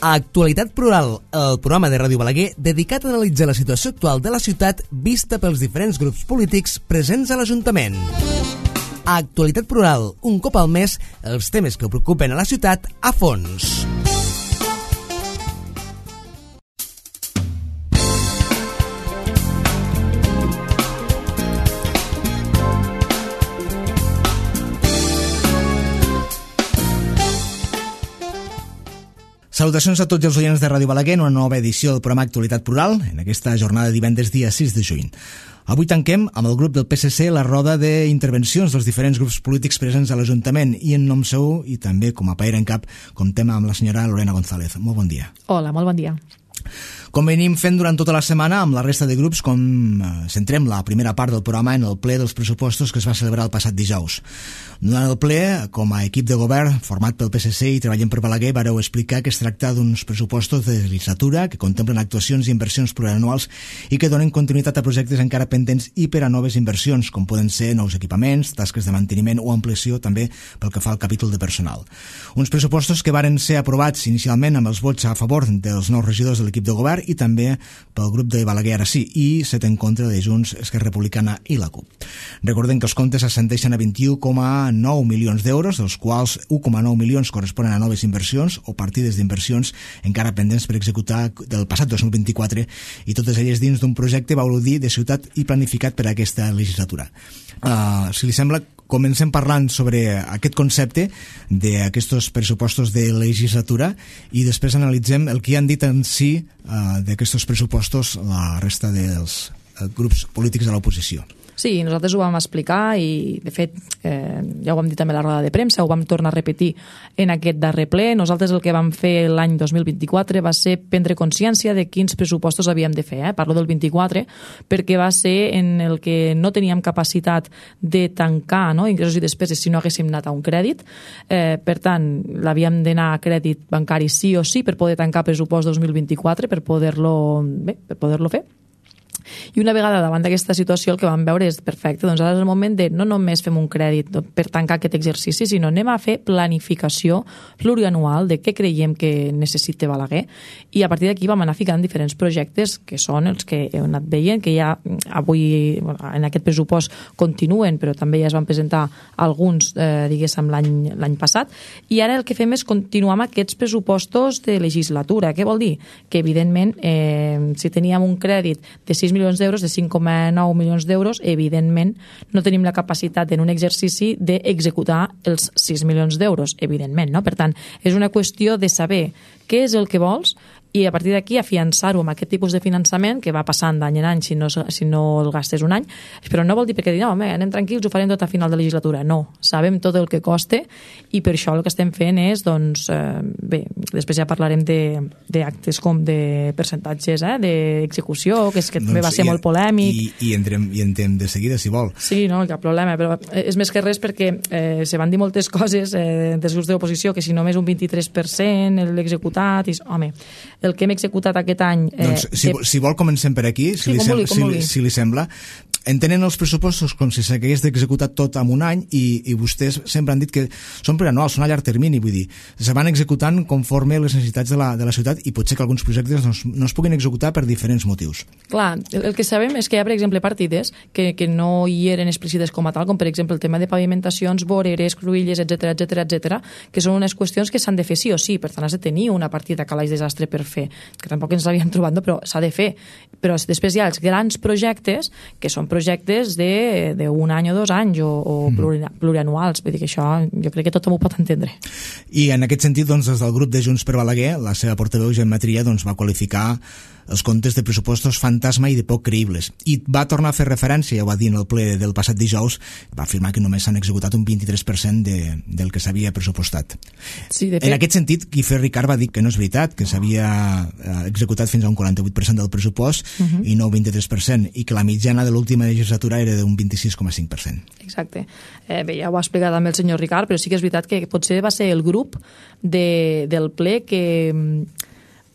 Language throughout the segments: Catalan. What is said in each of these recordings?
Actualitat Plural, el programa de Ràdio Balaguer dedicat a analitzar la situació actual de la ciutat vista pels diferents grups polítics presents a l'Ajuntament. Actualitat Plural, un cop al mes, els temes que preocupen a la ciutat a fons. Salutacions a tots els oients de Ràdio Balaguer en una nova edició del programa Actualitat Plural, en aquesta jornada de divendres dia 6 de juny. Avui tanquem amb el grup del PSC la roda d'intervencions dels diferents grups polítics presents a l'Ajuntament i en nom seu i també com a paer en cap comptem amb la senyora Lorena González. Molt bon dia. Hola, molt bon dia. Com venim fent durant tota la setmana amb la resta de grups, centrem la primera part del programa en el ple dels pressupostos que es va celebrar el passat dijous. Durant el ple, com a equip de govern format pel PSC i Treballem per Balaguer, vareu explicar que es tracta d'uns pressupostos de legislatura que contemplen actuacions i inversions plurianuals i que donen continuïtat a projectes encara pendents i per a noves inversions, com poden ser nous equipaments, tasques de manteniment o ampliació també pel que fa al capítol de personal. Uns pressupostos que varen ser aprovats inicialment amb els vots a favor dels nous regidors de l'equip de govern i també pel grup de Balaguer ara sí, i 7 en contra de Junts, Esquerra Republicana i la CUP. Recordem que els comptes ascendeixen a 21,9 milions d'euros, dels quals 1,9 milions corresponen a noves inversions o partides d'inversions encara pendents per executar del passat 2024 i totes elles dins d'un projecte Baulodí de ciutat i planificat per a aquesta legislatura. Si li sembla, comencem parlant sobre aquest concepte d'aquests pressupostos de legislatura i després analitzem el que han dit en si d'aquests pressupostos la resta dels grups polítics de l'oposició. Sí, nosaltres ho vam explicar i, de fet, ja ho vam dir també a la roda de premsa, ho vam tornar a repetir en aquest darrer ple. Nosaltres el que vam fer l'any 2024 va ser prendre consciència de quins pressupostos havíem de fer. Parlo del 24 perquè va ser en el que no teníem capacitat de tancar ingressos i despeses si no haguéssim anat a un crèdit. Per tant, l'havíem d'anar a crèdit bancari sí o sí per poder tancar pressupost 2024, per poder-lo fer. I una vegada davant d'aquesta situació el que vam veure és perfecte, doncs ara és el moment de no només fem un crèdit per tancar aquest exercici, sinó anem a fer planificació plurianual de què creiem que necessita Balaguer i a partir d'aquí vam anar ficant diferents projectes que són els que heu anat veient, que ja avui en aquest pressupost continuen, però també ja es van presentar alguns, diguéssim, l'any passat, i ara el que fem és continuar amb aquests pressupostos de legislatura. Què vol dir? Que evidentment si teníem un crèdit de 6 milions d'euros, de 5,9 milions d'euros, evidentment no tenim la capacitat en un exercici d'executar els 6 milions d'euros, evidentment, no? Per tant, és una qüestió de saber què és el que vols i a partir d'aquí afiançar-ho amb aquest tipus de finançament que va passant d'any en any si no el gastes un any, però no vol dir perquè no, anem tranquils, ho farem tot a final de legislatura. No, sabem tot el que costa i per això el que estem fent és, doncs, bé, després ja parlarem d'actes com de percentatges d'execució, que és que també va ser molt polèmic. I entrem de seguida, si vol. Sí, no, cap problema, però és més que res perquè se van dir moltes coses dels grups d'oposició, que si només un 23% l'executat, i home, el que hem executat aquest any... Doncs, si vol, comencem per aquí, si li sembla. Entenen els pressupostos com si s'hagués d'executar tot en un any i vostès sempre han dit que són plurianuals, són a llarg termini, vull dir, se van executant conforme les necessitats de la ciutat i potser que alguns projectes no es puguin executar per diferents motius. Clar, el que sabem és que hi ha, per exemple, partides que no hi eren explícites com a tal, com per exemple el tema de pavimentacions, voreres, cruïlles, etc, que són unes qüestions que s'han de fer sí o sí, per tant has de tenir una partida calaix desastre per fer, que tampoc ens l'havíem trobat, però s'ha de fer. Però després hi ha els grans projectes, que són projectes d'un any o 2 anys o plurianuals, vull dir que això jo crec que tothom ho pot entendre. I en aquest sentit, doncs, des del grup de Junts per Balaguer, la seva portaveu Gemma Tria va qualificar els comptes de pressupostos fantasma i de poc creïbles. I va tornar a fer referència, ja ho va dir en el ple del passat dijous, va afirmar que només s'han executat un 23% del que s'havia pressupostat. Sí, de fet... En aquest sentit, Guifré Ricard va dir que no és veritat, que s'havia executat fins a un 48% del pressupost i no un 23%, i que la mitjana de l'última legislatura era d'un 26,5%. Exacte. Bé, ja ho ha explicat també el senyor Ricard, però sí que és veritat que potser va ser el grup del ple que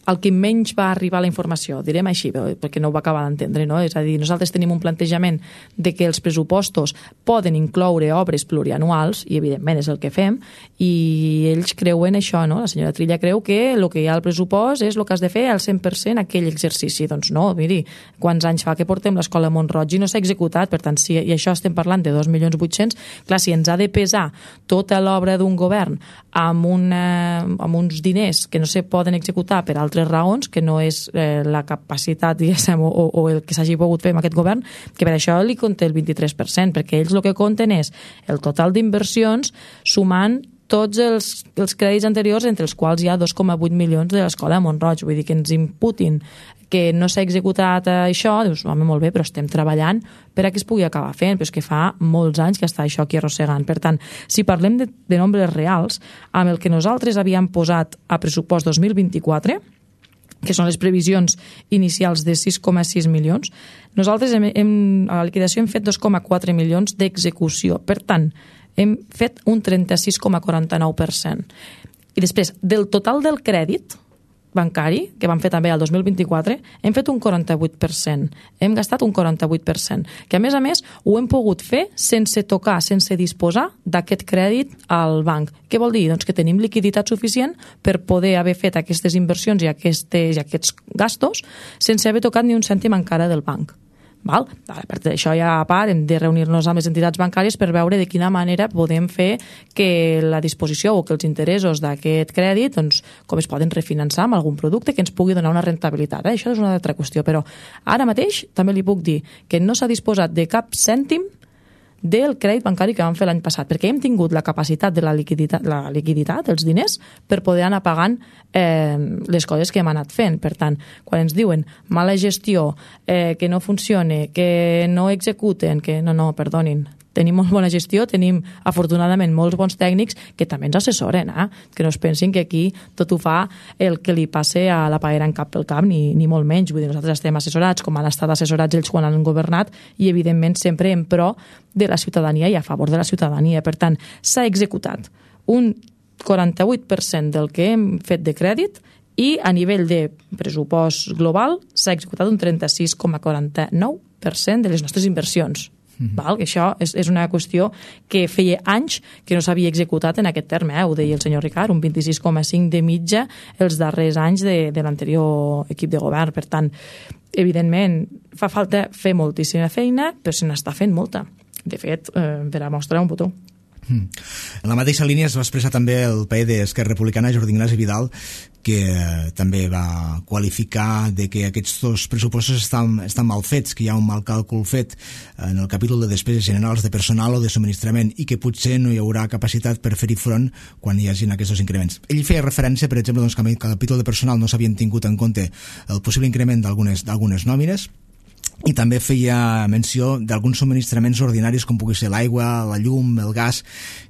al que menys va arribar la informació, direm així, perquè no ho va acabar d'entendre, no? És a dir, nosaltres tenim un plantejament de que els pressupostos poden incloure obres plurianuals, i evidentment és el que fem, i ells creuen això, no? La senyora Trilla creu que el que hi ha al pressupost és el que has de fer al 100% aquell exercici. Doncs no, miri, quants anys fa que portem l'escola Mont-roig i no s'ha executat, per tant, si i això estem parlant de 2.800.000, clar, si ens ha de pesar tota l'obra d'un govern amb uns diners que no se poden executar per altres raons, que no és la capacitat, diguéssim, o el que s'hagi pogut fer amb aquest govern, que per això li compta el 23%, perquè ells el que compten és el total d'inversions sumant tots els crèdits anteriors, entre els quals hi ha 2,8 milions de l'escola Mont-roig. Vull dir que ens imputin que no s'ha executat això, dius, home, molt bé, però estem treballant per a que es pugui acabar fent, però és que fa molts anys que està això aquí arrossegant. Per tant, si parlem de nombres reals, amb el que nosaltres havíem posat a pressupost 2024, que són les previsions inicials de 6,6 milions, nosaltres a la liquidació hem fet 2,4 milions d'execució. Per tant, hem fet un 36,49%. I després, del total del crèdit bancari, que vam fer també el 2024, hem fet un 48%. Hem gastat un 48%, que a més ho hem pogut fer sense tocar, sense disposar d'aquest crèdit al banc. Què vol dir? Doncs que tenim liquiditat suficient per poder haver fet aquestes inversions i aquests gastos sense haver tocat ni un cèntim encara del banc. Val? Per això ja a part hem de reunir-nos amb les entitats bancàries per veure de quina manera podem fer que la disposició o que els interessos d'aquest crèdit, doncs, com es poden refinançar amb algun producte que ens pugui donar una rentabilitat. Això és una altra qüestió, però ara mateix també li puc dir que no s'ha disposat de cap cèntim del crèdit bancari que vam fer l'any passat, perquè hem tingut la capacitat de la liquiditat, els diners, per poder anar pagant les coses que hem anat fent. Per tant, quan ens diuen mala gestió, que no funcione, que no executen, que no, perdonin, tenim molt bona gestió, tenim afortunadament molts bons tècnics que també ens assessoren, que no es pensin que aquí tot ho fa el que li passe a la paera en cap pel cap, ni molt menys. Vull dir, nosaltres estem assessorats com han estat assessorats ells quan han governat i evidentment sempre en pro de la ciutadania i a favor de la ciutadania. Per tant, s'ha executat un 48% del que hem fet de crèdit i a nivell de pressupost global s'ha executat un 36,49% de les nostres inversions. Val? Que això és una qüestió que feia anys que no s'havia executat en aquest terme, ho deia el senyor Ricard, un 26,5 de mitja els darrers anys de l'anterior equip de govern. Per tant, evidentment, fa falta fer moltíssima feina, però se n'està fent molta. De fet, per a mostrar un botó. En la mateixa línia es va expressar també el paper d'Esquerra Republicana, Jordi Ignasi Vidal, que també va qualificar de que aquests dos pressupostos estan mal fets, que hi ha un mal càlcul fet en el capítol de despeses generals de personal o de subministrament i que potser no hi haurà capacitat per fer-hi front quan hi hagin aquests dos increments. Ell feia referència, per exemple, doncs, que en el capítol de personal no s'havien tingut en compte el possible increment d'algunes nòmines, i també feia menció d'alguns subministraments ordinaris com pugui ser l'aigua, la llum, el gas,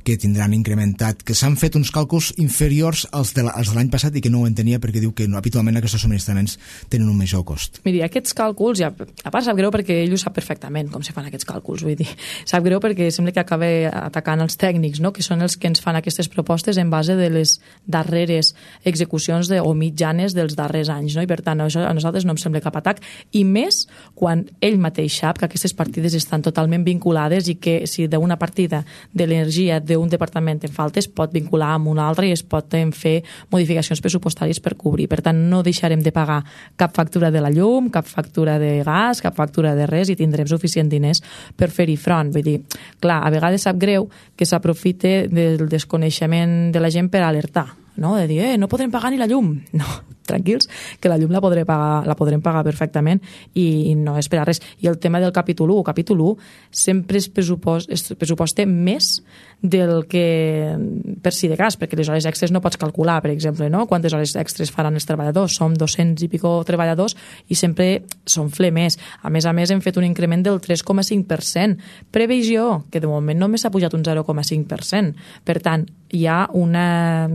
que tindran incrementat, que s'han fet uns càlculs inferiors als de l'any passat i que no ho entenia perquè diu que habitualment aquests subministraments tenen un major cost. Miri, aquests càlculs, ja, a part sap greu perquè ell ho sap perfectament com se fan aquests càlculs, vull dir, sap greu perquè sembla que acaba atacant els tècnics, no? Que són els que ens fan aquestes propostes en base de les darreres execucions o mitjanes dels darrers anys, no? I per tant, això a nosaltres no em sembla cap atac, i més quan ell mateix sap que aquestes partides estan totalment vinculades i que si d'una partida de l'energia d'un departament en falta es pot vincular amb una altra i es poden fer modificacions pressupostàries per cobrir. Per tant, no deixarem de pagar cap factura de la llum, cap factura de gas, cap factura de res i tindrem suficient diners per fer-hi front. Vull dir, clar, a vegades sap greu que s'aprofite del desconeixement de la gent per alertar, no? De dir, no podrem pagar ni la llum. No, tranquils, que la llum la podrem pagar perfectament i no és per a res. I el tema del capítol 1, sempre es pressuposta més del que per si de cas, perquè les hores extres no pots calcular, per exemple, no? Quantes hores extres faran els treballadors, som 200 i pico treballadors i sempre s'onfle més. A més, hem fet un increment del 3,5%. Previsió, que de moment només s'ha pujat un 0,5%. Per tant, hi ha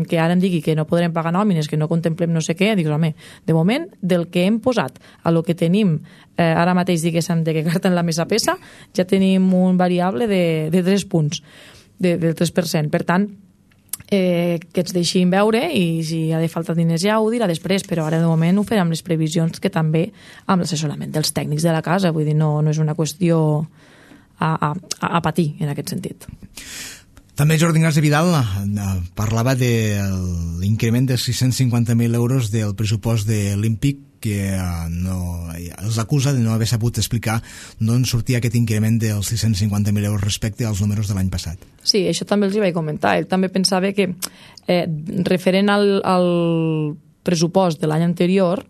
que ara em digui que no podrem pagar nòmines, que no contemplem no sé què, dic, home, de moment, del que hem posat a lo que tenim ara mateix, diguéssim, de que carta en la mesa pesa, ja tenim un variable de 3 punts, del 3%. Per tant, que ens deixin veure i si ha de faltar diners ja ho dirà després, però ara de moment ho farem amb les previsions que també amb l'assessorament dels tècnics de la casa, vull dir, no és una qüestió a patir en aquest sentit. També Jordi Ignasi Vidal parlava de l'increment de 650.000 euros del pressupost de l'Olímpic, que els acusa de no haver sabut explicar d'on sortia aquest increment dels 650.000 euros respecte als números de l'any passat. Sí, això també els hi vaig comentar. Ell també pensava que, referent al pressupost de l'any anterior,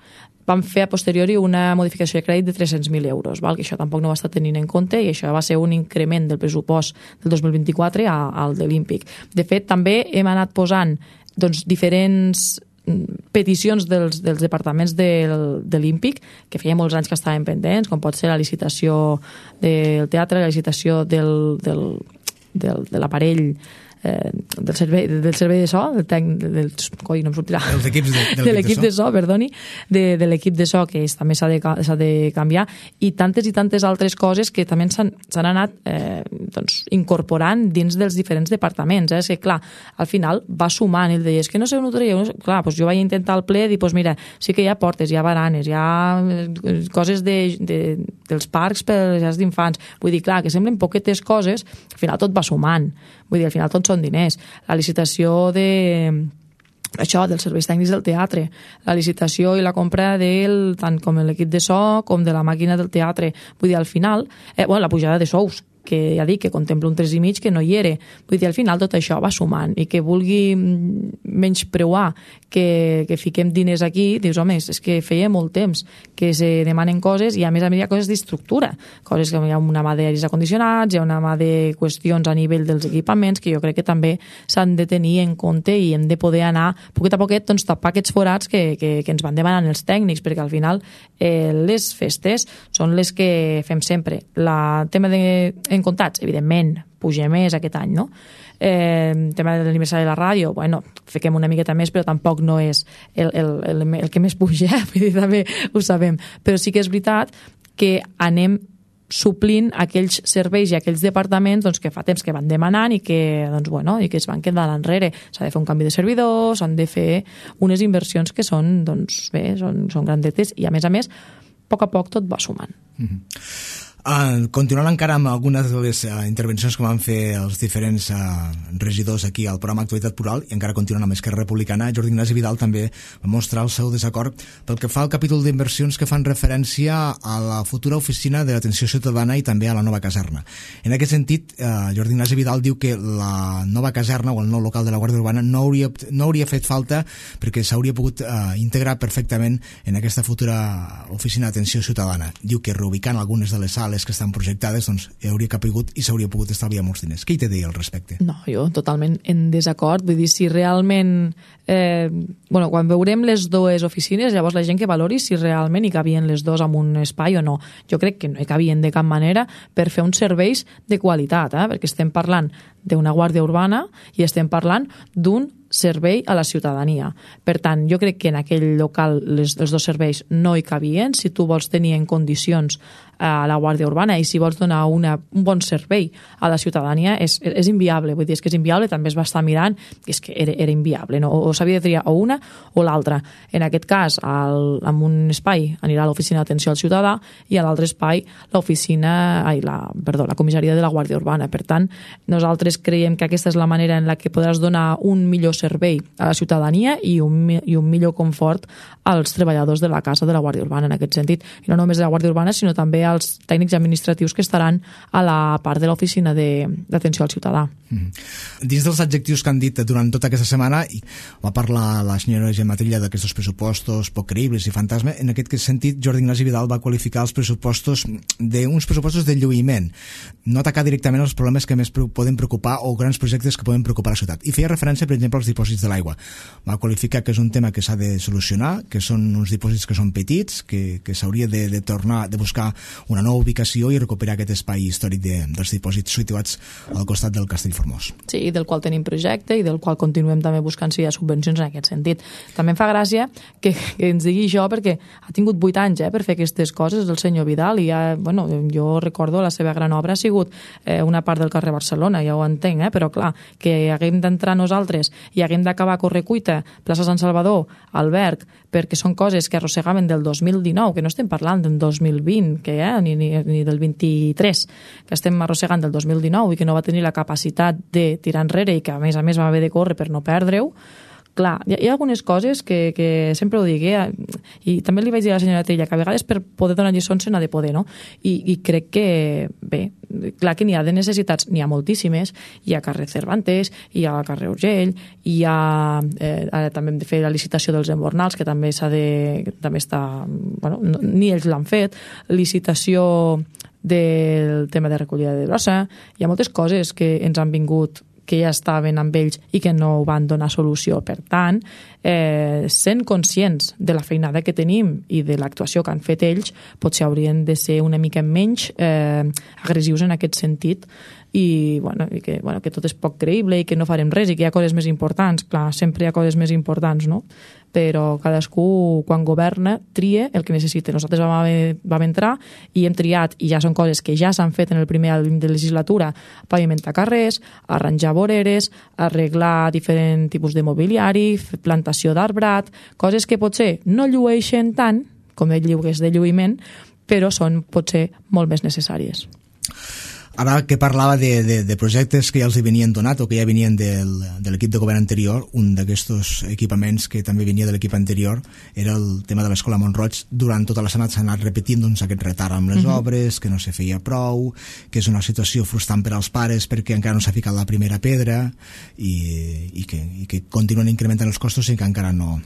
vam fer a posteriori una modificació de crèdit de 300.000 euros, val? Que això tampoc no ho està tenint en compte i això va ser un increment del pressupost del 2024 al de l'Olímpic. De fet, també hem anat posant diferents peticions dels departaments de l'Olímpic, que feia molts anys que estaven pendents, com pot ser la licitació del teatre, la licitació de l'aparell, del servei de so, de l'equip de so, perdoni, de l'equip de so, que també s'ha de canviar, i tantes altres coses que també s'han anat incorporant dins dels diferents departaments. És que, clar, al final va sumant, ell deia, és que no sé on ho treieu. Clar, doncs jo vaig intentar al ple dir, doncs mira, sí que hi ha portes, hi ha baranes, hi ha coses dels parcs per les llars d'infants. Vull dir, clar, que semblen poquetes coses, al final tot va sumant. Vull dir, al final tot són diners. La licitació dels serveis tècnics del teatre, la licitació i la compra tant com l'equip de so com de la màquina del teatre. Vull dir, al final, la pujada de sous, que ja dic que contempla un 3,5 que no hi era. Vull dir, al final tot això va sumant i que vulgui menyspreuar que fiquem diners aquí, dius, home, és que feia molt temps que se demanen coses i a més hi ha coses d'estructura, coses que hi ha una mà d'aires acondicionats, hi ha una mà de qüestions a nivell dels equipaments que jo crec que també s'han de tenir en compte i hem de poder anar poquet a poquet tapar aquests forats que ens van demanant els tècnics, perquè al final les festes són les que fem sempre. El tema en comptats, evidentment, puja més aquest any, no? Tema de l'aniversari de la ràdio, bueno, fiquem una miqueta més, però tampoc no és el que més puja, vull dir, també ho sabem. Però sí que és veritat que anem suplint aquells serveis i aquells departaments que fa temps que van demanant i que es van quedar enrere. S'ha de fer un canvi de servidors, s'han de fer unes inversions que són grandetes i a més, a poc a poc tot va sumant. Continuant encara amb algunes de les intervencions que van fer els diferents regidors aquí al programa Actualitat Plural, i encara continuant amb Esquerra Republicana, Jordi Ignasi Vidal també va mostrar el seu desacord pel que fa al capítol d'inversions que fan referència a la futura oficina d'atenció ciutadana i també a la nova caserna. En aquest sentit, Jordi Ignasi Vidal diu que la nova caserna o el nou local de la Guàrdia Urbana no hauria fet falta perquè s'hauria pogut integrar perfectament en aquesta futura oficina d'atenció ciutadana. Diu que reubicant algunes de les sales que estan projectades, hauria capigut i s'hauria pogut estalviar molts diners. Què hi té a dir al respecte? No, jo totalment en desacord. Vull dir, si realment... quan veurem les dues oficines, llavors la gent que valori si realment hi cabien les dues en un espai o no. Jo crec que no hi cabien de cap manera per fer uns serveis de qualitat, perquè estem parlant d'una guàrdia urbana i estem parlant d'un servei a la ciutadania. Per tant, jo crec que en aquell local els dos serveis no hi cabien. Si tu vols tenir en condicions a la Guàrdia Urbana i si vols donar un bon servei a la ciutadania és inviable. Vull dir, és que és inviable, també es va estar mirant i és que era inviable, no? O s'havia de triar o una o l'altra. En aquest cas, en un espai anirà a l'oficina d'atenció al ciutadà i a l'altre espai la comissaria de la Guàrdia Urbana. Per tant, nosaltres creiem que aquesta és la manera en la que podràs donar un millor servei a la ciutadania i un millor confort als treballadors de la casa de la Guàrdia Urbana en aquest sentit. I no només de la Guàrdia Urbana, sinó també als tècnics administratius que estaran a la part de l'oficina d'atenció al ciutadà. Dins dels adjectius que han dit durant tota aquesta setmana, va parlar la senyora Gemma Trilla d'aquests pressupostos poc creïbles i fantasma. En aquest sentit, Jordi Ignasi Vidal va qualificar els pressupostos d'uns pressupostos de lluïment, no atacar directament els problemes que més poden preocupar o grans projectes que poden preocupar la ciutat. I feia referència, per exemple, als els dipòsits de l'aigua. Va qualificar que és un tema que s'ha de solucionar, que són uns dipòsits que són petits, que s'hauria de tornar, de buscar una nova ubicació i recuperar aquest espai històric dels dipòsits situats al costat del Castell Formós. Sí, i del qual tenim projecte i del qual continuem també buscant si hi ha subvencions en aquest sentit. També em fa gràcia que ens digui això perquè ha tingut 8 anys per fer aquestes coses el senyor Vidal i jo recordo la seva gran obra ha sigut una part del carrer Barcelona, ja ho entenc, però clar, que haguem d'entrar nosaltres i haguem d'acabar a Correcuita, plaça Sant Salvador, Alberg, perquè són coses que arrossegaven del 2019, que no estem parlant del 2020, ni del 23, que estem arrossegant del 2019 i que no va tenir la capacitat de tirar enrere i que a més va haver de córrer per no perdre-ho. Clar, hi ha algunes coses que sempre ho dic, i també li vaig dir a la senyora Trilla que a vegades per poder donar lliçons se n'ha de poder, no? I crec que, bé, clar que n'hi ha de necessitats, n'hi ha moltíssimes, hi ha carrer Cervantes, hi ha carrer Urgell, hi ha, ara també hem de fer la licitació dels embornals, que també també està, ni ells l'han fet, licitació del tema de recollida de brossa, hi ha moltes coses que ens han vingut que ja estaven amb ells i que no van donar solució. Per tant, sent conscients de la feinada que tenim i de l'actuació que han fet ells, potser haurien de ser una mica menys agressius en aquest sentit i que tot és poc creïble i que no farem res i que hi ha coses més importants. Clar, sempre hi ha coses més importants, no? Però cadascú, quan governa, tria el que necessita. Nosaltres vam entrar i hem triat, i ja són coses que ja s'han fet en el primer any de legislatura, pavimentar carrers, arranjar voreres, arreglar diferents tipus de mobiliari, plantació d'arbrat, coses que potser no llueixen tant, com ell diu que és de lluïment, però són potser molt més necessàries. Ara que parlava de projectes que ja els venien donat o que ja venien de l'equip de govern anterior, un d'aquests equipaments que també venia de l'equip anterior era el tema de l'Escola Mont-roig. Durant tota la setmana s'ha anat repetint aquest retard amb les obres, que no se feia prou, que és una situació frustrant per als pares perquè encara no s'ha ficat la primera pedra i que continuen incrementant els costos i que encara no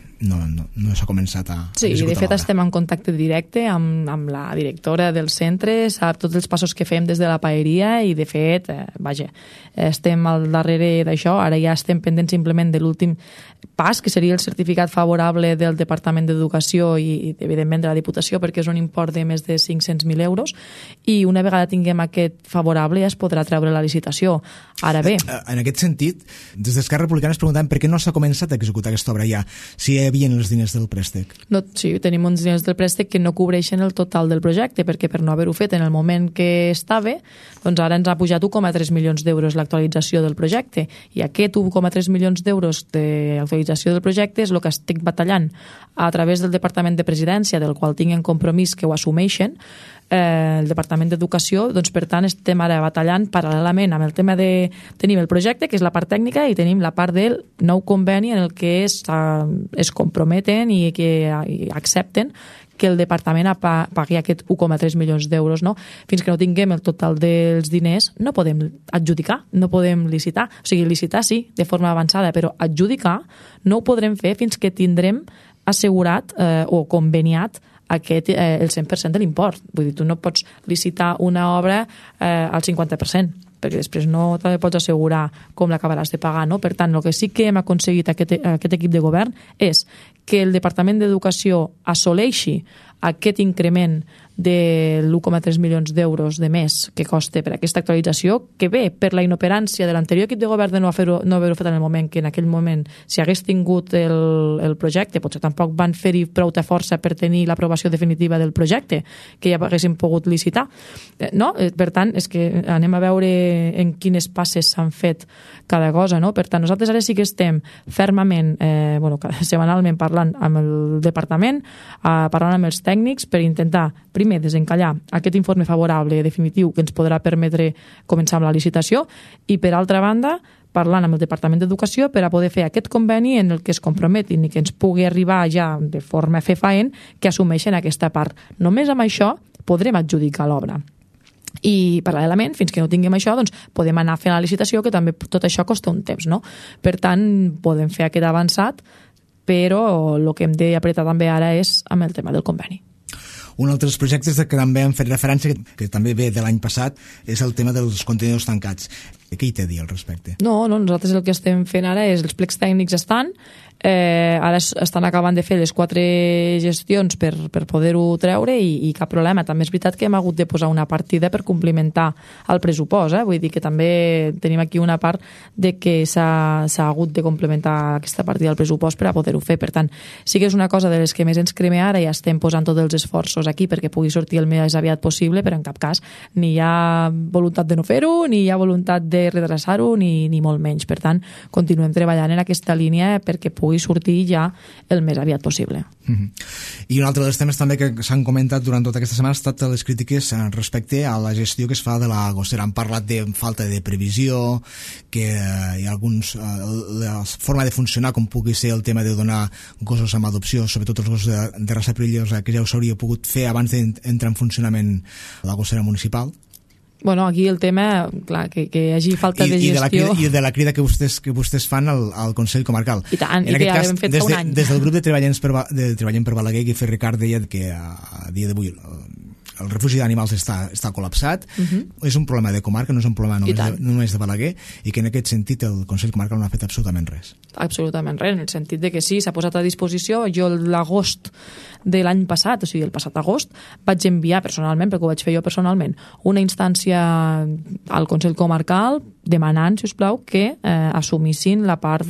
s'ha començat a Sí, i de fet estem en contacte directe amb la directora del centre, sap tots els passos que fem des de la paeria i de fet, estem al darrere d'això, ara ja estem pendents simplement de l'últim pas, que seria el certificat favorable del Departament d'Educació i evidentment de la Diputació, perquè és un import de més de 500.000 euros, i una vegada tinguem aquest favorable ja es podrà treure la licitació. Ara bé... En aquest sentit, des d'Esquerra Republicana es preguntem per què no s'ha començat a executar aquesta obra ja, si hi havia els diners del préstec. No, sí, tenim uns diners del préstec que no cobreixen el total del projecte, perquè per no haver-ho fet en el moment que estava, doncs ara ens ha pujat 1,3 milions d'euros l'actualització del projecte, i aquest 1,3 milions d'euros d'actualització del projecte és el que estic batallant a través del Departament de Presidència, del qual tinc en compromís que ho assumeixen, el Departament d'Educació, doncs per tant estem ara batallant paral·lelament amb el tema de... Tenim el projecte, que és la part tècnica, i tenim la part del nou conveni en el que es comprometen i que accepten que el departament pagui aquest 1,3 milions d'euros, no? Fins que no tinguem el total dels diners no podem adjudicar, no podem licitar. O sigui, licitar sí, de forma avançada, però adjudicar no ho podrem fer fins que tindrem assegurat o conveniat el 100% de l'import. Vull dir, tu no pots licitar una obra al 50%, perquè després no te pots assegurar com l'acabaràs de pagar, no? Per tant, el que sí que hem aconseguit aquest equip de govern és que el Departament d'Educació assoleixi aquest increment de l'1,3 milions d'euros de més que costa per aquesta actualització, que ve per la inoperància de l'anterior equip de govern de no haver-ho fet en el moment, que en aquell moment, si hagués tingut el projecte, potser tampoc van fer-hi prou de força per tenir l'aprovació definitiva del projecte, que ja haguéssim pogut licitar. No? Per tant, és que anem a veure en quines passes s'han fet cada cosa, no? Per tant, nosaltres ara sí que estem fermament, setmanalment parlant amb el departament, parlant amb els tècnics per intentar, primer, desencallar aquest informe favorable definitiu que ens podrà permetre començar amb la licitació i, per altra banda, parlant amb el Departament d'Educació per a poder fer aquest conveni en el que es comprometin i que ens pugui arribar ja de forma fefaent que assumeixen aquesta part. Només amb això podrem adjudicar l'obra. I paral·lelament, fins que no tinguem això, doncs podem anar a fer la licitació, que també tot això costa un temps, no? Per tant, podem fer aquest avançat, però el que hem d'apretar també ara és amb el tema del conveni. Un altre dels projectes que també hem fet referència, que també ve de l'any passat, és el tema dels contenidors tancats. Què hi té a dir al respecte? No, nosaltres el que estem fent ara és, els plecs tècnics estan, ara estan acabant de fer les 4 gestions per poder-ho treure i cap problema. També és veritat que hem hagut de posar una partida per complementar el pressupost, vull dir que també tenim aquí una part de que s'ha hagut de complementar aquesta partida del pressupost per a poder-ho fer. Per tant, sí que és una cosa de les que més ens crema ara i estem posant tots els esforços aquí perquè pugui sortir el més aviat possible, però en cap cas ni hi ha voluntat de no fer-ho, ni hi ha voluntat de retrasar-ho, ni molt menys. Per tant, continuem treballant en aquesta línia perquè pugui sortir ja el més aviat possible. I un altre dels temes també que s'han comentat durant tota aquesta setmana ha estat les crítiques respecte a la gestió que es fa de la gossera. Han parlat de falta de previsió, que hi ha alguns... la forma de funcionar, com pugui ser el tema de donar gossos amb adopció, sobretot els gossos de raça perillosa, que ja s'hauria pogut fer abans d'entrar en funcionament la gossera municipal. Bueno, aquí el tema, clar, que hi hagi falta de gestió... I de la crida que vostès fan al Consell Comarcal. I tant, i que ja l'hem fet fa un any. Des del grup de Treballem per Balaguer, Guifé Ricard deia que a dia d'avui el refugi d'animals està col·lapsat. És un problema de comarca, no és un problema només de Balaguer, i que en aquest sentit el Consell Comarcal no ha fet absolutament res. Absolutament res, en el sentit de que sí, s'ha posat a disposició. Jo l'agost de l'any passat, o sigui, el passat agost, vaig enviar personalment, perquè ho vaig fer jo personalment, una instància al Consell Comarcal demanant, si us plau, que assumissin la part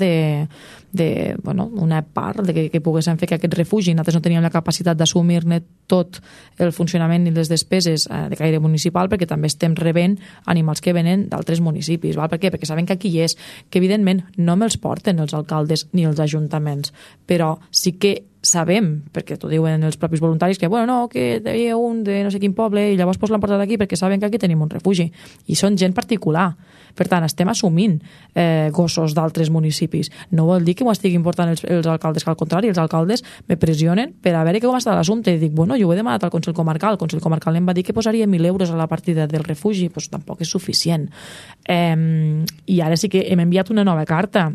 una part de que poguessin fer que aquest refugi, nosaltres no teníem la capacitat d'assumir-ne tot el funcionament i les despeses de caire municipal, perquè també estem rebent animals que venen d'altres municipis. Per què? Perquè saben que aquí és, que evidentment no me'ls porten els alcaldes ni els ajuntaments, però sí que sabem, perquè t'ho diuen els propis voluntaris, que que hi havia un de no sé quin poble i llavors l'han portat aquí perquè saben que aquí tenim un refugi. I són gent particular. Per tant, estem assumint gossos d'altres municipis. No vol dir que m'ho estiguin portant els alcaldes, que al contrari, els alcaldes me pressionen per a veure com està l'assumpte. I dic, jo ho he demanat al Consell Comarcal. El Consell Comarcal em va dir que posaria 1.000 euros a la partida del refugi. Doncs tampoc és suficient. I ara sí que hem enviat una nova carta.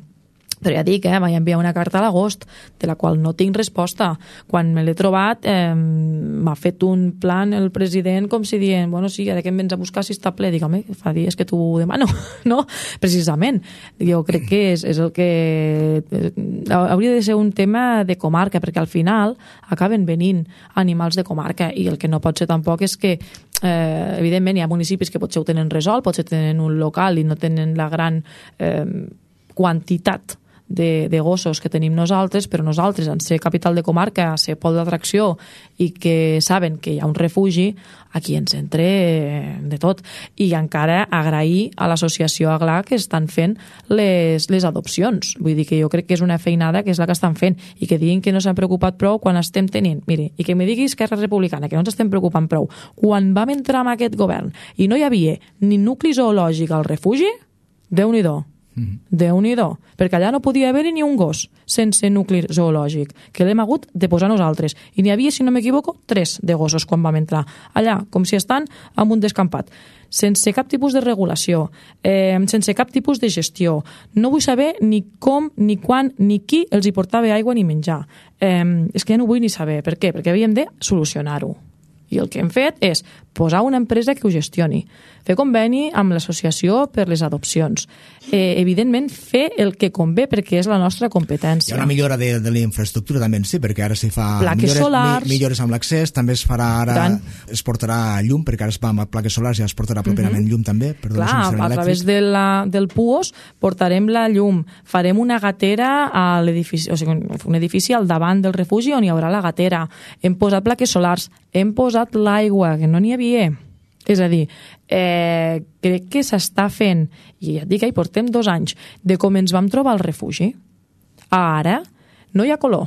Però ja dic, vaig enviar una carta a l'agost de la qual no tinc resposta. Quan me l'he trobat m'ha fet un plan el president com si dient, sí, ara que em vens a buscar si està ple. Dic, home, fa dies que t'ho demano, no? Precisament. Jo crec que és el que hauria de ser un tema de comarca, perquè al final acaben venint animals de comarca i el que no pot ser tampoc és que evidentment hi ha municipis que potser ho tenen resolt, potser tenen un local i no tenen la gran quantitat de gossos que tenim nosaltres, però nosaltres, en ser capital de comarca, ser pol d'atracció i que saben que hi ha un refugi, aquí ens entre de tot. I encara agrair a l'associació Aglà que estan fent les adopcions. Vull dir que jo crec que és una feinada que és la que estan fent i que diguin que no s'han preocupat prou quan estem tenint. Miri, i que me digui Esquerra Republicana que no ens estem preocupant prou. Quan vam entrar en aquest govern i no hi havia ni nucli zoològic al refugi, Déu-n'hi-do. Déu-n'hi-do, perquè allà no podia haver-hi ni un gos sense nucli zoològic, que l'hem hagut de posar nosaltres, i n'hi havia, si no m'equivoco, 3 de gossos quan vam entrar allà, com si estan en un descampat, sense cap tipus de regulació, sense cap tipus de gestió. No vull saber ni com, ni quan, ni qui els hi portava aigua ni menjar. És que ja no vull ni saber. Per què? Perquè havíem de solucionar-ho. I el que hem fet és posar una empresa que ho gestioni, fer conveni amb l'associació per les adopcions, evidentment fer el que convé perquè és la nostra competència. Hi ha una millora de la infraestructura també en si, perquè ara s'hi fa millores amb l'accés, també es farà ara, es portarà llum, perquè ara es va amb plaques solars i es portarà properament llum també. Clar, a través del PUOS portarem la llum, farem una gatera a l'edifici, o sigui, un edifici al davant del refugi on hi haurà la gatera, hem posat plaques solars, hem posat l'aigua, que no n'hi havia. És a dir, crec que s'està fent, i ja et dic que hi portem 2 anys, de com ens vam trobar al refugi. Ara no hi ha color.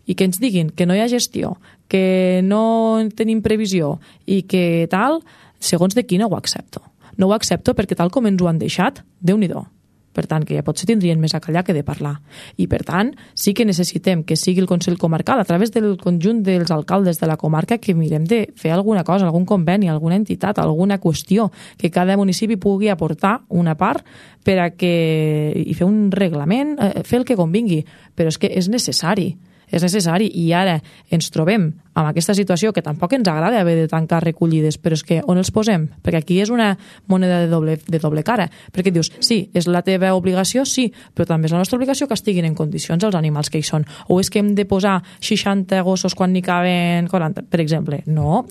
I que ens diguin que no hi ha gestió, que no tenim previsió i que tal, segons de qui no ho accepto. No ho accepto perquè tal com ens ho han deixat, Déu-n'hi-do. Per tant, que ja potser tindrien més a callar que de parlar. I, per tant, sí que necessitem que sigui el Consell Comarcal, a través del conjunt dels alcaldes de la comarca, que mirem de fer alguna cosa, algun conveni, alguna entitat, alguna qüestió, que cada municipi pugui aportar una part i fer un reglament, fer el que convingui. Però és que és necessari. és necessari, i ara ens trobem amb aquesta situació que tampoc ens agrada haver de tancar recollides, però és que on els posem? Perquè aquí és una moneda de doble cara, perquè dius, sí, és la teva obligació, sí, però també és la nostra obligació que estiguin en condicions els animals que hi són, o és que hem de posar 60 gossos quan n'hi caben 40, per exemple. No,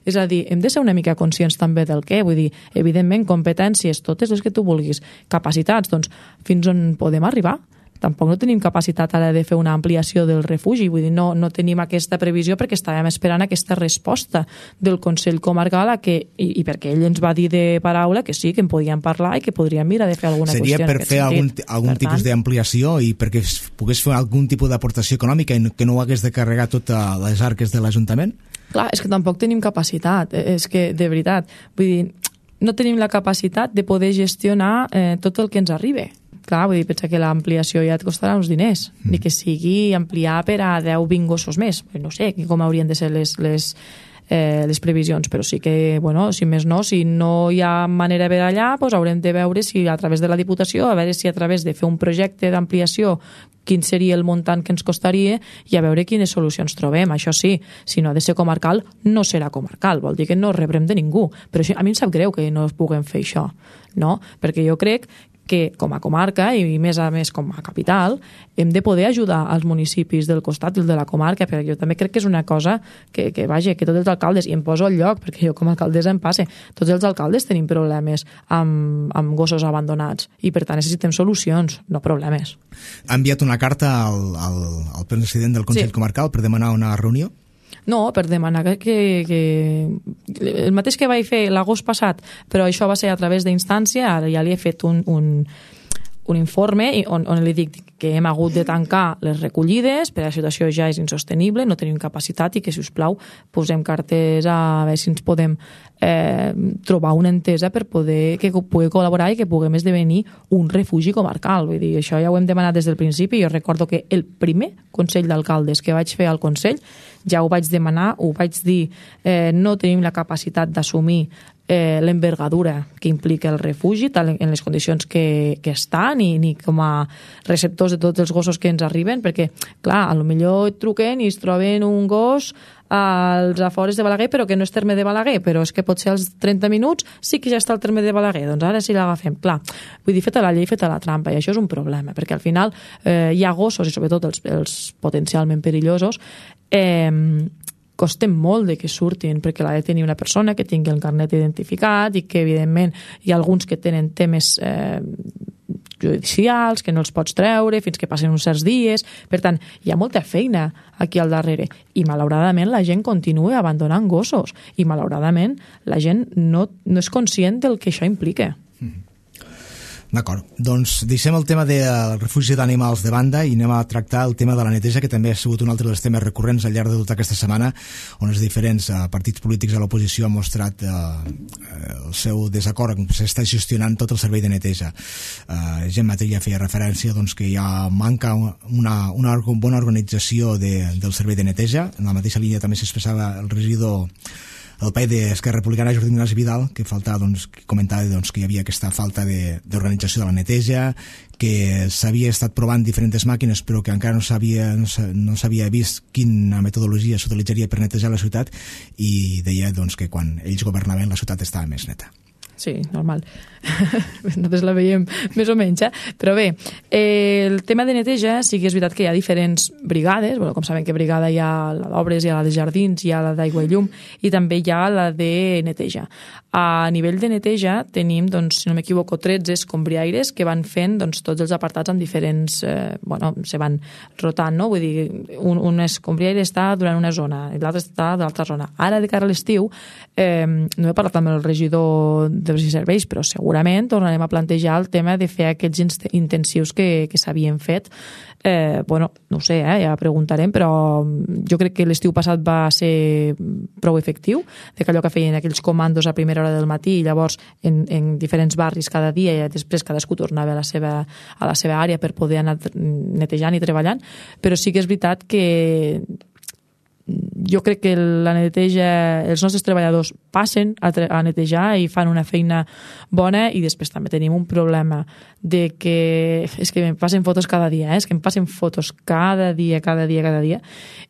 és a dir, hem de ser una mica conscients també del què, vull dir, evidentment, competències, totes les que tu vulguis, capacitats, doncs, fins on podem arribar? Tampoc no tenim capacitat ara de fer una ampliació del refugi, vull dir, no tenim aquesta previsió perquè estàvem esperant aquesta resposta del Consell Comarcal i perquè ell ens va dir de paraula que sí, que en podíem parlar i que podríem mirar de fer alguna qüestió en aquest sentit. Seria per fer algun tipus d'ampliació i perquè pogués fer algun tipus d'aportació econòmica i que no ho hagués de carregar totes les arques de l'Ajuntament? Clar, és que tampoc tenim capacitat, és que, de veritat, vull dir, no tenim la capacitat de poder gestionar tot el que ens arriba. Clar, vull dir, pensa que l'ampliació ja et costarà uns diners, ni que sigui ampliar per a 10-20 gossos més. No sé com haurien de ser les previsions, però sí que, bueno, si més no, si no hi ha manera de veure allà, doncs haurem de veure si a través de la Diputació, a veure si a través de fer un projecte d'ampliació quin seria el muntant que ens costaria i a veure quines solucions trobem. Això sí, si no ha de ser comarcal, no serà comarcal, vol dir que no rebrem de ningú. Però això, a mi em sap greu que no puguem fer això, no? Perquè jo crec que com a comarca i més a més com a capital hem de poder ajudar als municipis del costat i de la comarca, perquè jo també crec que és una cosa que vaja, que tots els alcaldes, i em poso al lloc perquè jo com a alcaldessa em passe, tots els alcaldes tenim problemes amb gossos abandonats i per tant necessitem solucions, no problemes. Ha enviat una carta al president del Consell Comarcal per demanar una reunió? No, per demanar que el mateix que vaig fer l'agost passat, però això va ser a través d'instància, ara ja li he fet un informe on li dic que hem hagut de tancar les recollides, perquè la situació ja és insostenible, no tenim capacitat i que, si us plau, posem cartes a veure si ens podem trobar una entesa per poder col·laborar i que puguem esdevenir un refugi comarcal. Vull dir, això ja ho hem demanat des del principi. Jo recordo que el primer Consell d'Alcaldes que vaig fer al Consell ja ho vaig demanar, ho vaig dir, no tenim la capacitat d'assumir l'envergadura que implica el refugi tal en les condicions que estan ni com a receptors de tots els gossos que ens arriben, perquè clar, a lo millor et truquen i es troben un gos als afores de Balaguer, però que no és terme de Balaguer, però és que potser als 30 minuts sí que ja està el terme de Balaguer, doncs ara sí l'agafem. Clar, vull dir, feta la llei, feta la trampa, i això és un problema, perquè al final hi ha gossos, i sobretot els potencialment perillosos, costen molt de que surtin, perquè l'ha de tenir una persona que tingui el carnet identificat i que, evidentment, hi ha alguns que tenen temes judicials, que no els pots treure fins que passen uns certs dies. Per tant, hi ha molta feina aquí al darrere i, malauradament, la gent continua abandonant gossos i, malauradament, la gent no és conscient del que això implica. D'acord, doncs deixem el tema del refugi d'animals de banda i anem a tractar el tema de la neteja, que també ha sigut un altre dels temes recurrents al llarg de tota aquesta setmana, on els diferents partits polítics a l'oposició han mostrat el seu desacord com s'està gestionant tot el servei de neteja. Gent Matella feia referència doncs, que ja manca una bona organització del servei de neteja. En la mateixa línia també s'expressava el regidor el pai d'Esquerra Republicana, Jordi Ignasi Vidal, que comentava que hi havia aquesta falta d'organització de la neteja, que s'havia estat provant diferents màquines però que encara no s'havia vist quina metodologia s'utilitzaria per netejar la ciutat, i deia que quan ells governaven la ciutat estava més neta. Sí, normal. Nosaltres la veiem més o menys, però bé, el tema de neteja sí que és veritat que hi ha diferents brigades, com saben que brigada hi ha la d'obres, hi ha la de jardins, hi ha la d'aigua i llum i també hi ha la de neteja. A nivell de neteja tenim, si no m'equivoco, 13 escombriaires que van fent tots els apartats amb diferents, se van rotant, no? Vull dir, un escombriaire està durant una zona i l'altre està de l'altra zona. Ara, de cara a l'estiu, no he parlat amb el regidor de serveis, però segurament tornarem a plantejar el tema de fer aquells intensius que s'havien fet. No ho sé, ja preguntarem, però jo crec que l'estiu passat va ser prou efectiu, de que allò que feien aquells comandos a primera hora del matí i llavors en diferents barris cada dia i després cadascú tornava a la seva àrea per poder anar netejant i treballant, però sí que és veritat que jo crec que la neteja, els nostres treballadors passen a netejar i fan una feina bona, i després també tenim un problema de que és que em passen fotos cada dia, és que em passen fotos cada dia,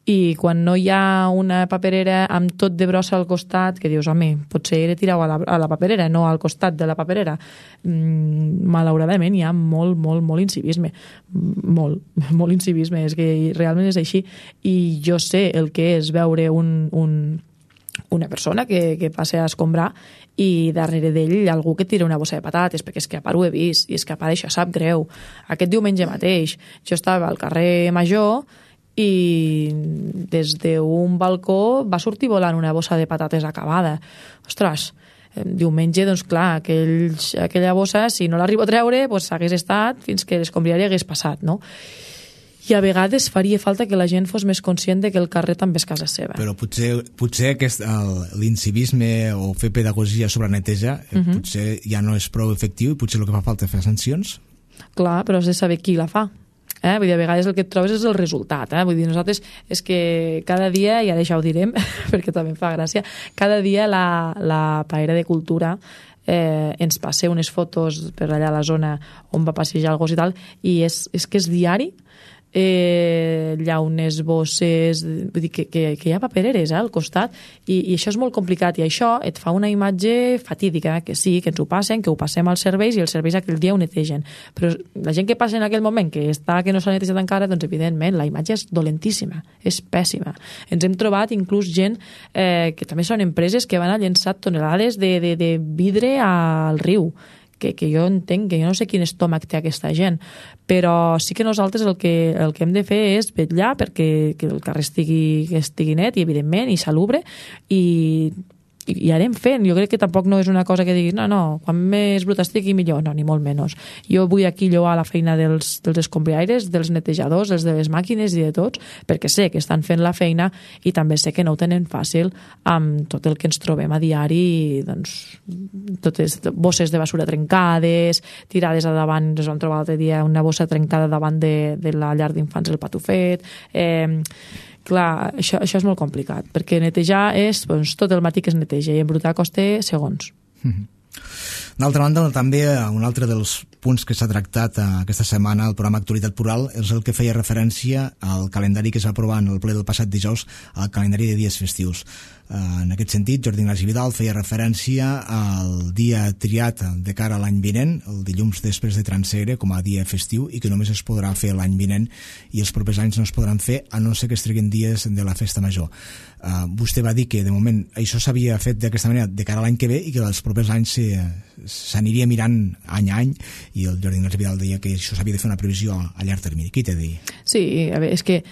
i quan no hi ha una paperera amb tot de brossa al costat, que dius, home, potser era tirar a la paperera, no al costat de la paperera, malauradament hi ha molt incivisme, molt incivisme, és que realment és així, i jo sé el que és veure una persona que passa a escombrar i darrere d'ell algú que tira una bossa de patates, perquè és que a part ho he vist, i és que a part això sap greu. Aquest diumenge mateix jo estava al carrer Major i des d'un balcó va sortir volant una bossa de patates acabada. Ostres, diumenge, doncs clar, aquella bossa, si no l'arribo a treure, doncs hagués estat fins que l'escombriari hagués passat, no? I a vegades faria falta que la gent fos més conscient de que el carrer també és casa seva. Però potser l'incivisme o fer pedagogia sobre neteja potser ja no és prou efectiu i potser el que fa falta és fer sancions? Clar, però has de saber qui la fa. Vull dir, a vegades el que et trobes és el resultat. Vull dir, nosaltres és que cada dia, i ara això ho direm perquè també em fa gràcia, cada dia la paera de cultura ens passa unes fotos per allà a la zona on va passejar el gos i tal, i és que és diari, llaunes, bosses, vull dir que hi ha papereres al costat, i això és molt complicat, i això et fa una imatge fatídica, que sí, que ens ho passen, que ho passem als serveis, i els serveis aquell dia ho netegen, però la gent que passa en aquell moment que no s'ha netejat encara, doncs evidentment la imatge és dolentíssima, és pèssima. Ens hem trobat inclús gent que també són empreses que van a llençar tonelades de vidre al riu, que jo entenc, que jo no sé quin estómac té aquesta gent, però sí que nosaltres el que hem de fer és vetllar perquè el carrer estigui net, i evidentment, i salubre, i anem fent. Jo crec que tampoc no és una cosa que diguis no, quan més brut estigui millor, no, ni molt menys. Jo vull aquí lloar la feina dels escombriaires, dels netejadors, els de les màquines i de tots, perquè sé que estan fent la feina, i també sé que no ho tenen fàcil amb tot el que ens trobem a diari, doncs totes bosses de basura trencades, tirades a davant. Ens vam trobar l'altre dia una bossa trencada davant de la llar d'infants El Patufet. Clar, això és molt complicat, perquè netejar és tot el matí que es neteja, i embrutar costa segons. D'altra banda, també un altre dels punts que s'ha tractat aquesta setmana al programa Actualitat Plural és el que feia referència al calendari que es va aprovar en el ple del passat dijous, al calendari de dies festius. En aquest sentit, Jordi Ignasi Vidal feia referència al dia triat de cara a l'any vinent, el dilluns després de Transsegre, com a dia festiu, i que només es podrà fer l'any vinent, i els propers anys no es podran fer a no ser que es treguin dies de la festa major. Vostè va dir que de moment això s'havia fet d'aquesta manera de cara a l'any que ve, i que els propers anys s'aniria mirant any a any, i el Jordi Ignasi Vidal deia que això s'havia de fer una previsió a llarg termini. Qui t'ha dit? Sí, a veure, és que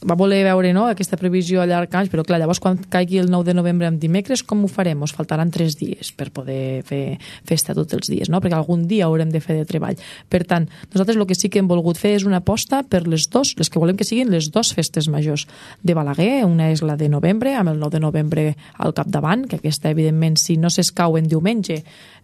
va voler veure aquesta previsió a llarg anys, però clar, llavors quan caigui el 9 de novembre en dimecres, com ho farem? Ens faltaran 3 dies per poder fer festa tots els dies, no? Perquè algun dia haurem de fer de treball. Per tant, nosaltres el que sí que hem volgut fer és una aposta per les que volem que siguin les 2 festes majors de Balaguer. Una és la de novembre, amb el 9 de novembre al capdavant, que aquesta, evidentment, si no s'escau en diumenge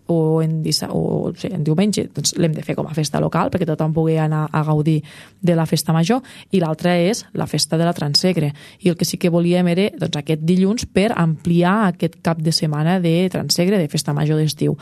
o en diumenge, doncs l'hem de fer com a festa local perquè tothom pugui anar a gaudir de la festa major, i l'altra és la festa de la Transsegre, i el que sí que volíem era aquest dilluns per ampliar aquest cap de setmana de Transsegre, de festa major d'estiu.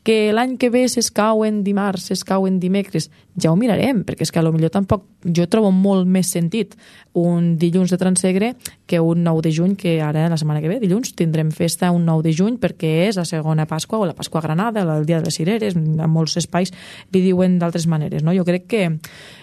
Que l'any que ve s'escau en dimarts, s'escau en dimecres, ja ho mirarem, perquè és que potser tampoc jo trobo molt més sentit un dilluns de Transsegre que un 9 de juny, que ara la setmana que ve, dilluns, tindrem festa un 9 de juny perquè és la segona Pasqua o la Pasqua Granada, el dia de les cireres, en molts espais li diuen d'altres maneres, no? Jo crec que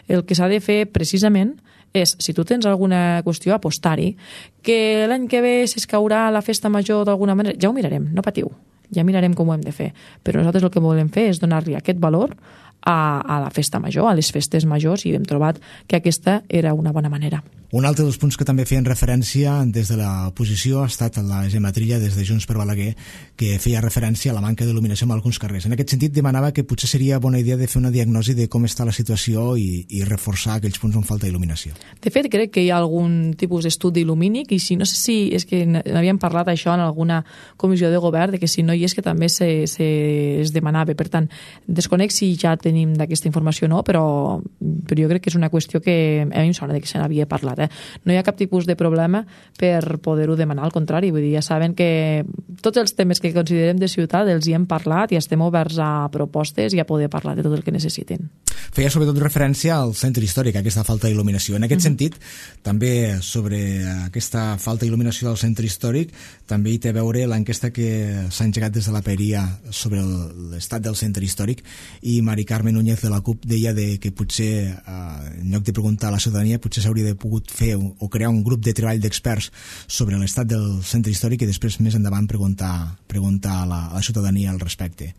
el que s'ha de fer precisament és, si tu tens alguna qüestió, apostar-hi, que l'any que ve s'escaurà la festa major d'alguna manera, ja ho mirarem, no patiu, ja mirarem com ho hem de fer, però nosaltres el que volem fer és donar-li aquest valor a la festa major, a les festes majors, i hem trobat que aquesta era una bona manera. Un altre dels punts que també feien referència des de l'oposició ha estat la Gemma Trilla, des de Junts per Balaguer, que feia referència a la manca d'il·luminació en alguns carrers. En aquest sentit, demanava que potser seria bona idea de fer una diagnosi de com està la situació i reforçar aquells punts on falta il·luminació. De fet, crec que hi ha algun tipus d'estudi lumínic, i si no sé si és que n'havíem parlat això en alguna comissió de govern, de que si no hi és que també es demanava. Per tant, desconec si ja tenim tenim d'aquesta informació no, però jo crec que és una qüestió que a mi em sona que se n'havia parlat. No hi ha cap tipus de problema per poder-ho demanar, al contrari, vull dir, ja saben que tots els temes que considerem de ciutat els hi hem parlat i estem oberts a propostes i a poder parlar de tot el que necessitin. Feia sobretot referència al centre històric, a aquesta falta d'il·luminació. En aquest sentit, també sobre aquesta falta d'il·luminació del centre històric, també hi té a veure l'enquesta que s'ha engegat des de la Paeria sobre l'estat del centre històric, i Mari Carmen Núñez de la CUP deia que potser, en lloc de preguntar a la ciutadania, potser s'hauria de pogut fer o crear un grup de treball d'experts sobre l'estat del centre històric i després més endavant preguntar a la ciutadania al respecte.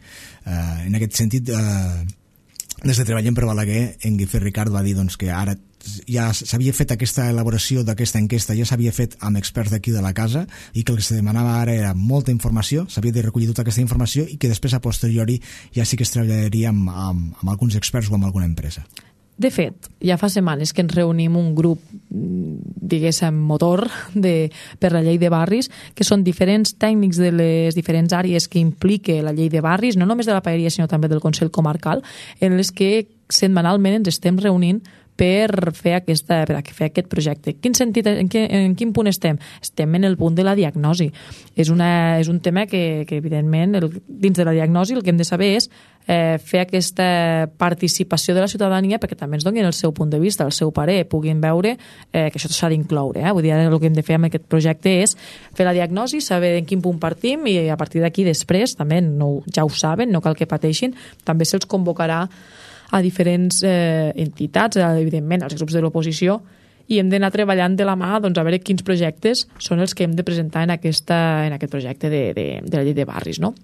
En aquest sentit, des de Treballem per Balaguer, en Guifré Ricard va dir que ara ja s'havia fet aquesta elaboració d'aquesta enquesta, ja s'havia fet amb experts d'aquí de la casa, i que el que se demanava ara era molta informació, s'havia de recollir tota aquesta informació i que després a posteriori ja sí que es treballaria amb alguns experts o amb alguna empresa. De fet, ja fa setmanes que ens reunim un grup, diguéssim, motor per la llei de barris, que són diferents tècnics de les diferents àrees que implique la llei de barris, no només de la Paeria, sinó també del Consell Comarcal, en les que setmanalment ens estem reunint per fer aquest projecte. En quin punt estem? Estem en el punt de la diagnosi. És un tema que evidentment, dins de la diagnosi el que hem de saber és fer aquesta participació de la ciutadania perquè també ens donin el seu punt de vista, el seu parer, puguin veure que això s'ha d'incloure. Vull dir, el que hem de fer amb aquest projecte és fer la diagnosi, saber en quin punt partim i a partir d'aquí després, també ja ho saben, no cal que pateixin, també se'ls convocarà a diferents entitats, evidentment als grups de l'oposició, i hem d'anar treballant de la mà a veure quins projectes són els que hem de presentar en aquest projecte de la llei de barris, no?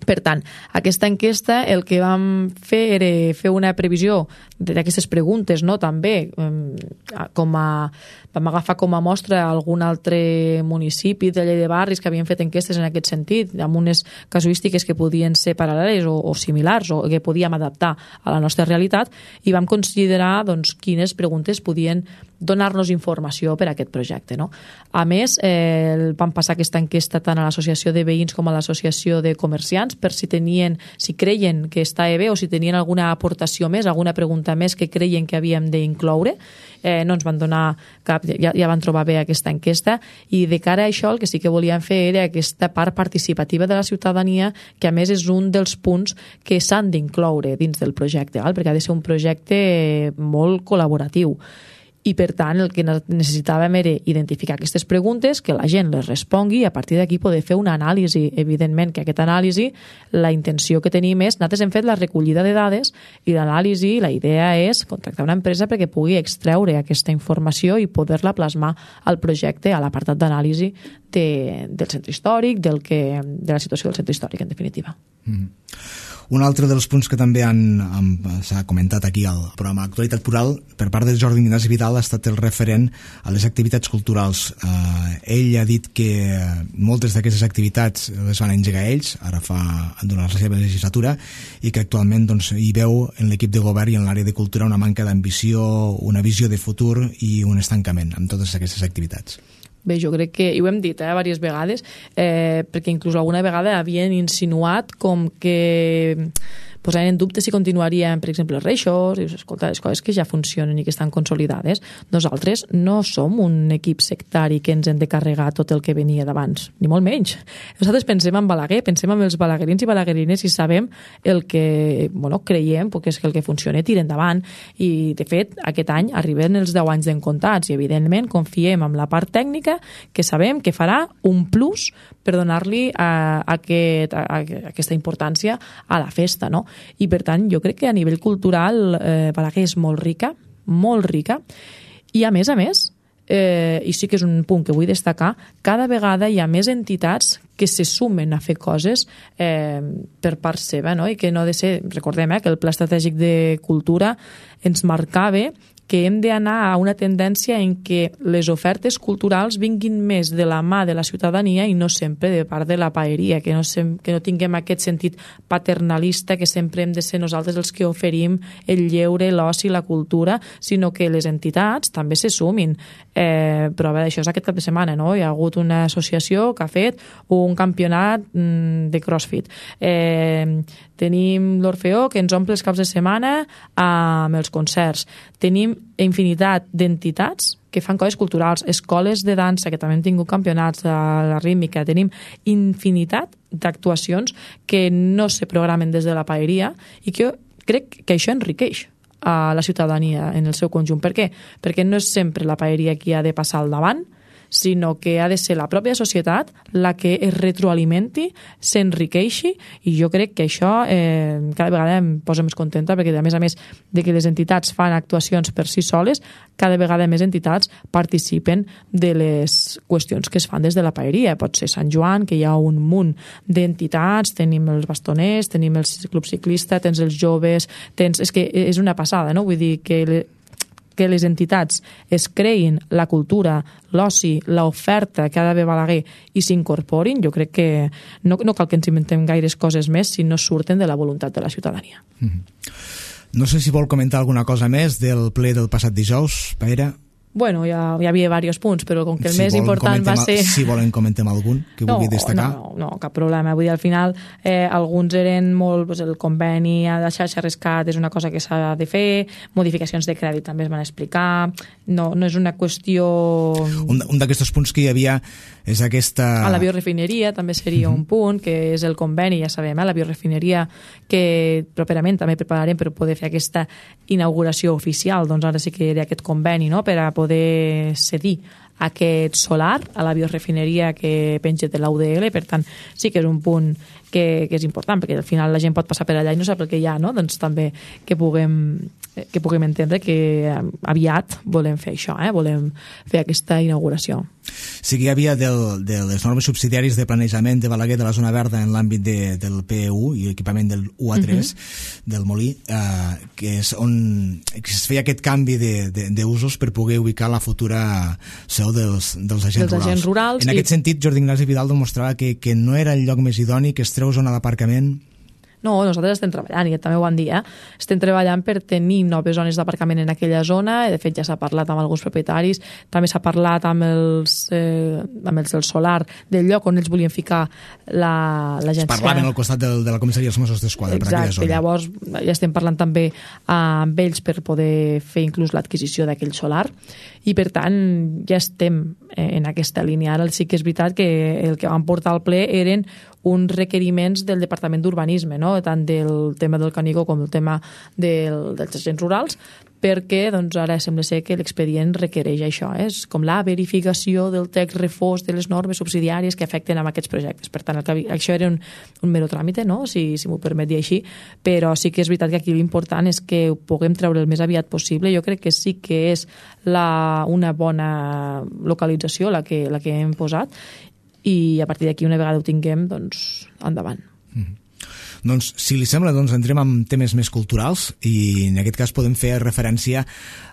Per tant, aquesta enquesta el que vam fer era fer una previsió d'aquestes preguntes, no? També vam agafar com a mostra algun altre municipi de llei de barris que havien fet enquestes en aquest sentit, amb unes casuístiques que podien ser paral·leles o similars o que podíem adaptar a la nostra realitat, i vam considerar quines preguntes podien donar-nos informació per a aquest projecte, no? A més, vam passar aquesta enquesta tant a l'associació de veïns com a l'associació de comerciants per si creien que estava bé o si tenien alguna aportació més, alguna pregunta més que creien que havíem d'incloure. No ens van donar cap, ja van trobar bé aquesta enquesta, i de cara a això el que sí que volíem fer era aquesta part participativa de la ciutadania, que a més és un dels punts que s'han d'incloure dins del projecte, perquè ha de ser un projecte molt col·laboratiu. I per tant el que necessitàvem era identificar aquestes preguntes, que la gent les respongui i a partir d'aquí poder fer una anàlisi. Evidentment que aquesta anàlisi, la intenció que tenim és, nosaltres hem fet la recollida de dades i l'anàlisi, la idea és contractar una empresa perquè pugui extreure aquesta informació i poder-la plasmar al projecte, a l'apartat d'anàlisi del centre històric, de la situació del centre històric, en definitiva. Un altre dels punts que també s'ha comentat aquí al programa Actualitat Plural per part de Jordi Ignasi Vidal ha estat el referent a les activitats culturals. Ell ha dit que moltes d'aquestes activitats les van engegar ells, durant la seva legislatura, i que actualment hi veu en l'equip de govern i en l'àrea de cultura una manca d'ambició, una visió de futur i un estancament amb totes aquestes activitats. Bé, jo crec que, i ho hem dit diverses vegades, perquè inclús alguna vegada havien insinuat com que posaven en dubte si continuarien, per exemple, els reixos, i escolta, les coses que ja funcionen i que estan consolidades. Nosaltres no som un equip sectari que ens hem de carregar tot el que venia d'abans, ni molt menys. Nosaltres pensem en Balaguer, pensem en els balaguerins i balaguerines i sabem el que, creiem que és que el que funciona tira endavant, i de fet aquest any arriben els 10 anys d'encomptats i evidentment confiem en la part tècnica que sabem que farà un plus per donar-li aquesta importància a la festa, no? I per tant jo crec que a nivell cultural Balaguer és molt rica, i a més, i sí que és un punt que vull destacar, cada vegada hi ha més entitats que se sumen a fer coses per part seva, no? I que no ha de ser, recordem que el Pla Estratègic de Cultura ens marcava que hem d'anar a una tendència en què les ofertes culturals vinguin més de la mà de la ciutadania i no sempre de part de la paeria, que no tinguem aquest sentit paternalista que sempre hem de ser nosaltres els que oferim el lleure, l'oci, la cultura, sinó que les entitats també se sumin. Prova d'això és aquest cap de setmana, no? Hi ha hagut una associació que ha fet un campionat de CrossFit. Tenim l'Orfeó, que ens omple els caps de setmana amb els concerts. Tenim infinitat d'entitats que fan coses culturals, escoles de dansa, que també hem tingut campionats de la rítmica. Tenim infinitat d'actuacions que no se programen des de la paeria i que jo crec que això enriqueix a la ciutadania en el seu conjunt. Per què? Perquè no és sempre la paeria qui ha de passar al davant, sinó que ha de ser la pròpia societat la que es retroalimenti, s'enriqueixi, i jo crec que això cada vegada em posa més contenta, perquè a més de que les entitats fan actuacions per si soles, cada vegada més entitats participen de les qüestions que es fan des de la paeria. Pot ser Sant Joan, que hi ha un munt d'entitats, tenim els bastoners, tenim el club ciclista, tens els joves, és que és una passada, no? Vull dir que les entitats es creïn la cultura, l'oci, l'oferta que ha d'haver Balaguer i s'incorporin, jo crec que no cal que ens inventem gaires coses més si no surten de la voluntat de la ciutadania. No sé si vol comentar alguna cosa més del ple del passat dijous, Pere. Bueno, hi havia diversos punts, però com que el més important va ser... Si volen comentem algun que vulgui destacar. No, cap problema. Vull dir, al final, alguns eren molt... el conveni de xarxa rescat és una cosa que s'ha de fer, modificacions de crèdit també es van explicar, no és una qüestió... Un d'aquests punts que hi havia és aquesta... A la biorefineria també seria un punt, que és el conveni, ja sabem, la biorefineria, que properament també prepararem per poder fer aquesta inauguració oficial, doncs ara sí que hi ha aquest conveni, no?, per a poder cedir aquest solar a la biorefineria que penja de l'UDL. Per tant, sí que és un punt que és important, perquè al final la gent pot passar per allà i no sap el que hi ha, no? Doncs també que puguem entendre que aviat volem fer això, volem fer aquesta inauguració. Sí que hi havia de les normes subsidiàries de planejament de Balaguer de la zona verda en l'àmbit del PU i equipament del UA3 del Molí, que és on es feia aquest canvi d'usos per poder ubicar la futura seu dels agents rurals. En aquest sentit, Jordi Ignasi Vidal demostrava que no era el lloc més idoni, que es treu zona d'aparcament. No, nosaltres estem treballant, i també ho van dir, estem treballant per tenir noves zones d'aparcament en aquella zona. De fet, ja s'ha parlat amb alguns propietaris, també s'ha parlat amb els del solar, del lloc on ells volien ficar l'agència. Es parlaven al costat de la comissaria dels Mossos d'Esquadra. Exacte, llavors ja estem parlant també amb ells per poder fer inclús l'adquisició d'aquell solar, i per tant ja estem en aquesta línia. Ara sí que és veritat que el que vam portar al ple eren uns requeriments del Departament d'Urbanisme, no? Tant del tema del Canigó com del tema dels agents rurals, perquè doncs, ara sembla ser que l'expedient requereix això, és com la verificació del text refós de les normes subsidiàries que afecten amb aquests projectes. Per tant, això era un mero tràmite, no? Si m'ho permet dir així, però sí que és veritat que aquí l'important és que ho puguem treure el més aviat possible. Jo crec que sí que és una bona localització la que hem posat, i a partir d'aquí, una vegada ho tinguem, doncs endavant. Doncs, si li sembla, entrem en temes més culturals, i en aquest cas podem fer referència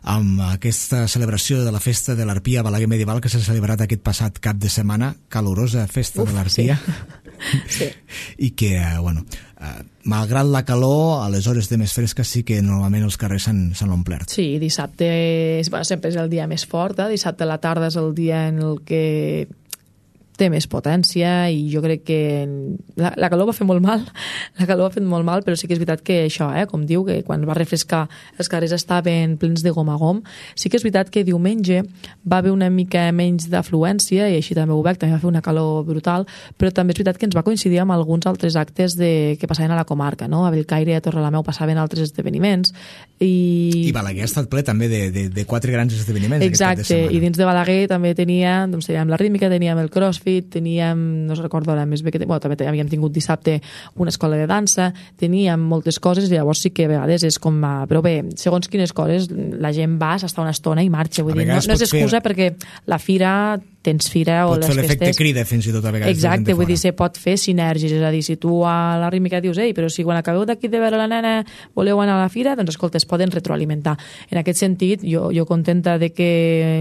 amb aquesta celebració de la festa de l'Arpia Balaguer Medieval que s'ha celebrat aquest passat cap de setmana, calorosa festa de l'Arpia. Sí. I que, malgrat la calor, a les hores de més fresques sí que normalment els carrers s'han omplert. Sí, dissabte sempre és el dia més fort, dissabte a la tarda és el dia en el que té més potència, i jo crec que la calor va fer molt mal, però sí que és veritat que això, com diu, que quan va refrescar els carrers estaven plens de gom a gom. Sí que és veritat que diumenge va haver una mica menys d'afluència, i així també ho veig, també va fer una calor brutal, però també és veritat que ens va coincidir amb alguns altres actes que passaven a la comarca, no? A Bellcaire i a Torrelameu passaven altres esdeveniments. I Balaguer ha estat ple també de 4 grans esdeveniments. Exacte, i dins de Balaguer també teníem la rítmica, teníem el CrossFit, teníem, no recordo ara més bé, també havíem tingut dissabte una escola de dansa, teníem moltes coses, i llavors sí que a vegades és com però bé, segons quines coses la gent va, s'està una estona i marxa, vull dir, no és excusa perquè la fira tens fira o les festes... Pot fer l'efecte crida fins i tot a vegades. Exacte, vull dir, se pot fer sinergis, és a dir, si tu a la rítmica dius, però si quan acabeu d'aquí de veure la nena voleu anar a la fira, doncs escolta, es poden retroalimentar. En aquest sentit, jo contenta de que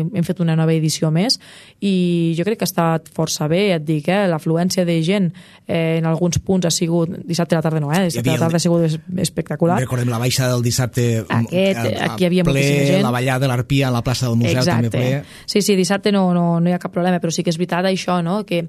hem fet una nova edició més, i jo crec que ha estat força bé, et dic, l'afluència de gent en alguns punts ha sigut, dissabte a la tarda no, dissabte a la tarda ha sigut espectacular. Recordem la baixa del dissabte, aquí hi havia moltíssima gent. La ballada de l'Arpia a la plaça del Museu, exacte, també ple. Sí, dissabte no hi ha cap cap problema, però sí que és veritat això, no? Que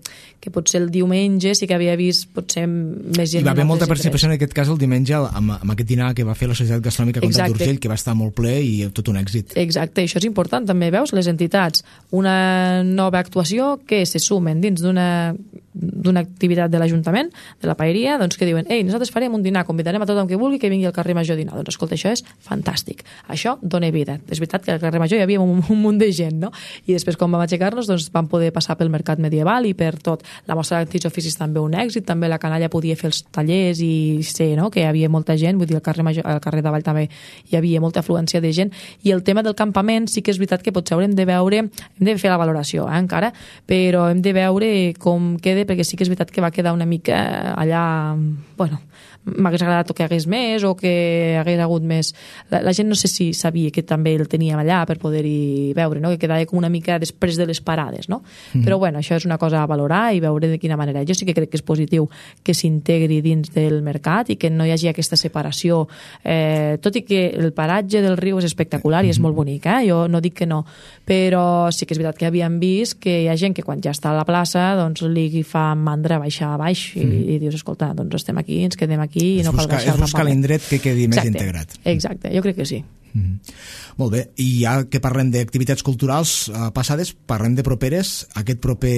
potser el diumenge sí que havia vist potser més gent. Hi va haver molta participació en aquest cas el diumenge amb aquest dinar que va fer la Societat Gastronòmica Comtat d'Urgell, que va estar molt ple i tot un èxit. Exacte, això és important també, veus, les entitats, una nova actuació que se sumen dins d'una activitat de l'Ajuntament, de la paeria, doncs que diuen, ei, nosaltres farem un dinar, convidarem a tothom que vulgui que vingui al carrer Major a dinar. Doncs escolta, això és fantàstic. Això dona vida. És veritat que al carrer Major hi havia un munt de gent, no? I després, quan vam aixecar-nos, doncs vam poder passar pel mercat medieval i per tot. La mostra d'antics oficis també un èxit, també la canalla podia fer els tallers i sé, no?, que hi havia molta gent, vull dir, al carrer Major, al carrer Davall també hi havia molta afluència de gent. I el tema del campament sí que és veritat que potser haurem de veure, hem de fer la valoració, encara, però hem de veure com queda, perquè sí que és veritat que va quedar una mica allà, bueno, m'hagués agradat que hagués més o que hagués hagut més. La gent no sé si sabia que també el teníem allà per poder-hi veure, no?, que quedava com una mica després de les parades, no? Però bueno, això és una cosa a valorar i veure de quina manera. Jo sí que crec que és positiu que s'integri dins del mercat i que no hi hagi aquesta separació, tot i que el paratge del riu és espectacular i és molt bonic, jo no dic que no, però sí que és veritat que havíem vist que hi ha gent que quan ja està a la plaça doncs li fa mandra baixar a baix i dius, escolta, doncs estem aquí, ens quedem aquí i no cal baixar. És buscar l'indret que quedi més integrat. Exacte, jo crec que sí. Molt bé, i ja que parlem d'activitats culturals passades, parlem de properes. Aquest proper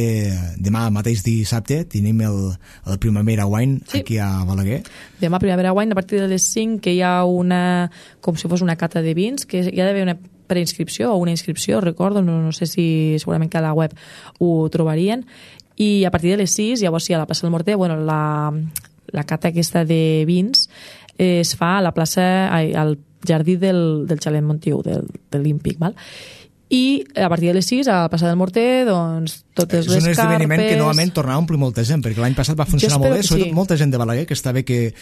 demà mateix dissabte tenim el Primavera Wine aquí a Balaguer. Demà Primavera Wine a partir de les 5, que hi ha una, com si fos una cata de vins, que hi ha d'haver una preinscripció o una inscripció, recordo, no sé si segurament que a la web ho trobarien, i a partir de les 6, llavors sí, a la plaça del Morter, bueno, la cata aquesta de vins es fa a la plaça, al jardí del Xalet Montiu, de l'Ímpic, val? I a partir de les 6, a la plaça del Morter, doncs, totes les carpes... És un esdeveniment que novament tornarà a omplir molta gent, perquè l'any passat va funcionar molt bé, sobretot molta gent de Balaguer, que està bé que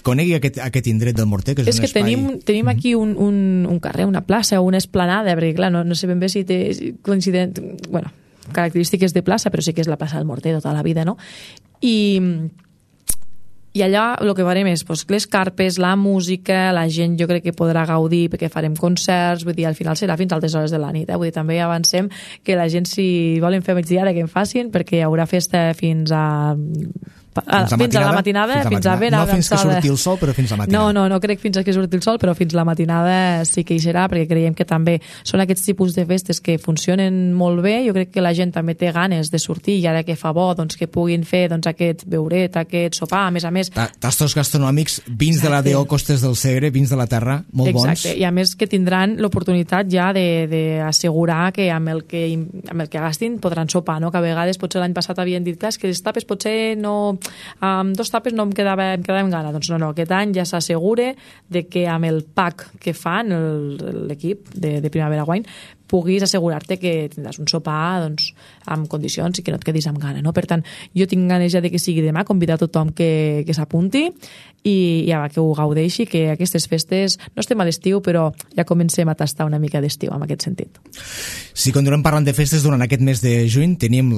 conegui aquest indret del Morter, que és un espai... tenim aquí un carrer, una plaça, una esplanada, perquè clar, no sé ben bé si té coincident... Bueno, característiques de plaça, però sí que és la plaça del Morter tota la vida, no? I allà el que farem és les carpes, la música, la gent jo crec que podrà gaudir perquè farem concerts, vull dir, al final serà fins a altes hores de la nit, vull dir, també avancem que la gent si volen fer migdiada que en facin perquè hi haurà festa fins a la matinada, fins a ben avançada. No fins que surti el sol, però fins a la matinada. No crec fins que surti el sol, però fins la matinada sí que hi serà, perquè creiem que també són aquests tipus de festes que funcionen molt bé. Jo crec que la gent també té ganes de sortir i ara que fa bo, doncs que puguin fer aquest beuret, aquest sopar, a més. Tastos gastronòmics, vins de la D.O. Costes del Segre, vins de la terra, molt bons. Exacte, i a més que tindran l'oportunitat ja d'assegurar que amb el que gastin podran sopar, no? Que a vegades potser l'any passat havien dit que les tapes potser no... Amb 2 tapes no em quedava en gana. Doncs no, aquest any ja s'assegura de que amb el pack que fan l'equip de Primavera Wine puguis assegurar-te que tindràs un sopar doncs, amb condicions i que no et quedis amb gana, no? Per tant, jo tinc ganes ja de que sigui demà, convidar tothom que s'apunti i ja que ho gaudeixi, que aquestes festes no estem a l'estiu, però ja comencem a tastar una mica d'estiu en aquest sentit. Si continuem parlant de festes, durant aquest mes de juny tenim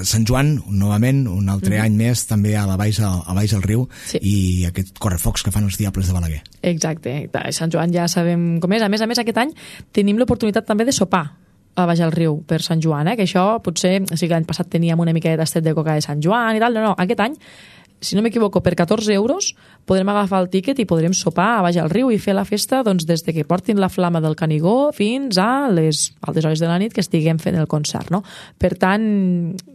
Sant Joan, novament, un altre any més, també a baix al riu, i aquest correfocs que fan els Diables de Balaguer. Exacte, Sant Joan ja sabem com és. A més, aquest any tenim l'oportunitat també de sopar a baix al riu per Sant Joan, que això potser, sí que l'any passat teníem una mica de tastet de coca de Sant Joan i tal, no, aquest any, si no m'equivoco, per 14 euros podrem agafar el tíquet i podrem sopar a baix al riu i fer la festa doncs, des de que portin la flama del Canigó fins a les altes hores de la nit que estiguem fent el concert, no? Per tant,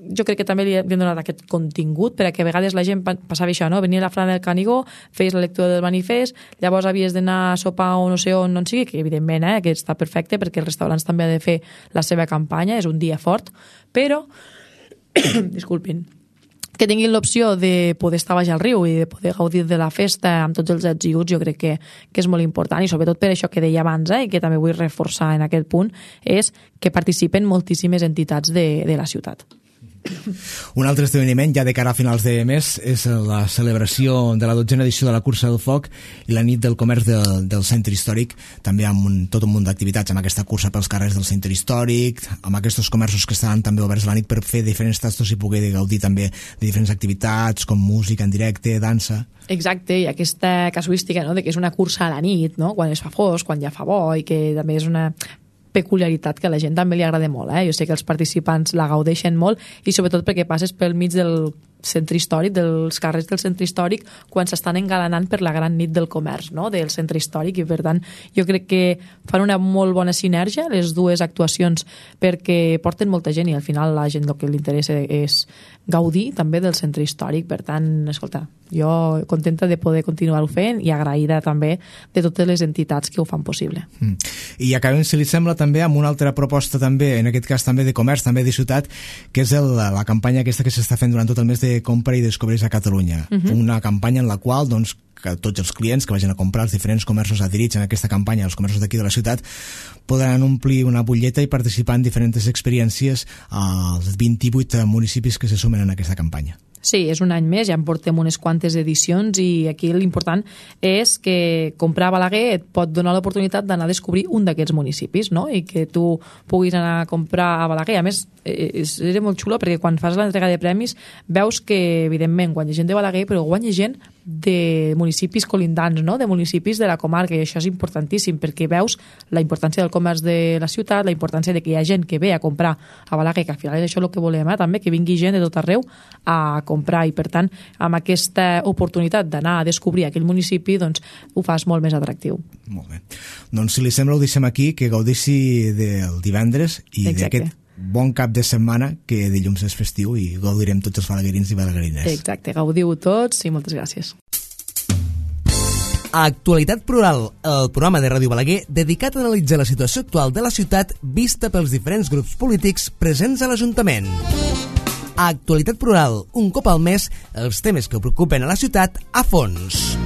jo crec que també li hem donat aquest contingut perquè a vegades la gent passava això, no? Venia la flama del Canigó, feies la lectura del manifest, llavors havies d'anar a sopar o no sé on sigui, que evidentment que està perfecte perquè els restaurants també han de fer la seva campanya, és un dia fort, però disculpin, que tinguin l'opció de poder estar baix al riu i de poder gaudir de la festa amb tots els ets i uts, jo crec que és molt important, i sobretot per això que deia abans, i que també vull reforçar en aquest punt, és que participen moltíssimes entitats de la ciutat. Un altre esdeveniment ja de cara a finals de mes és la celebració de la 12a edició de la Cursa del Foc i la nit del comerç del centre històric, també amb tot un munt d'activitats, amb aquesta cursa pels carrers del centre històric, amb aquests comerços que estaran també oberts a la nit per fer diferents tastos i poder gaudir també de diferents activitats com música en directe, dansa. Exacte, i aquesta casuística, no?, de que és una cursa a la nit, no?, quan es fa fosc, quan ja fa bo, i que també és una... peculiaritat que a la gent també li agrada molt. Jo sé que els participants la gaudeixen molt i sobretot perquè passes pel mig del centre històric, dels carrers del centre històric, quan s'estan engalanant per la gran nit del comerç, no?, del centre històric, i per tant jo crec que fan una molt bona sinergia les dues actuacions, perquè porten molta gent i al final la gent el que li interessa és gaudir també del centre històric. Per tant, escolta, jo contenta de poder continuar-ho fent i agraïda també de totes les entitats que ho fan possible. I acabem, si li sembla, també amb una altra proposta també, en aquest cas també de comerç, també de ciutat, que és la campanya aquesta que s'està fent durant tot el mes de compra i descobreix a Catalunya. Una campanya en la qual, doncs, que tots els clients que vagin a comprar els diferents comerços adherits en aquesta campanya, els comerços d'aquí de la ciutat, podran omplir una butlleta i participar en diferents experiències als 28 municipis que se sumen en aquesta campanya. Sí, és un any més, ja en portem unes quantes edicions i aquí l'important és que comprar a Balaguer et pot donar l'oportunitat d'anar a descobrir un d'aquests municipis, no?, i que tu puguis anar a comprar a Balaguer. A més, és molt xulo perquè quan fas l'entrega de premis veus que, evidentment, guanya gent de Balaguer, però guanya gent de municipis colindants, no?, de municipis de la comarca, i això és importantíssim perquè veus la importància del comerç de la ciutat, la importància de que hi ha gent que ve a comprar a Balaguer, que al final és això el que volem, també, que vingui gent de tot arreu a comprar, i per tant amb aquesta oportunitat d'anar a descobrir aquell municipi, doncs ho fas molt més atractiu. Molt bé. Doncs si li sembla ho deixem aquí, que gaudeixi del divendres i d'aquest bon cap de setmana, que dilluns és festiu i gaudirem tots els balaguerins i balaguerines. Exacte, gaudiu tots i moltes gràcies. Actualitat Plural, el programa de Ràdio Balaguer dedicat a analitzar la situació actual de la ciutat vista pels diferents grups polítics presents a l'Ajuntament. Actualitat Plural, un cop al mes, els temes que preocupen a la ciutat a fons.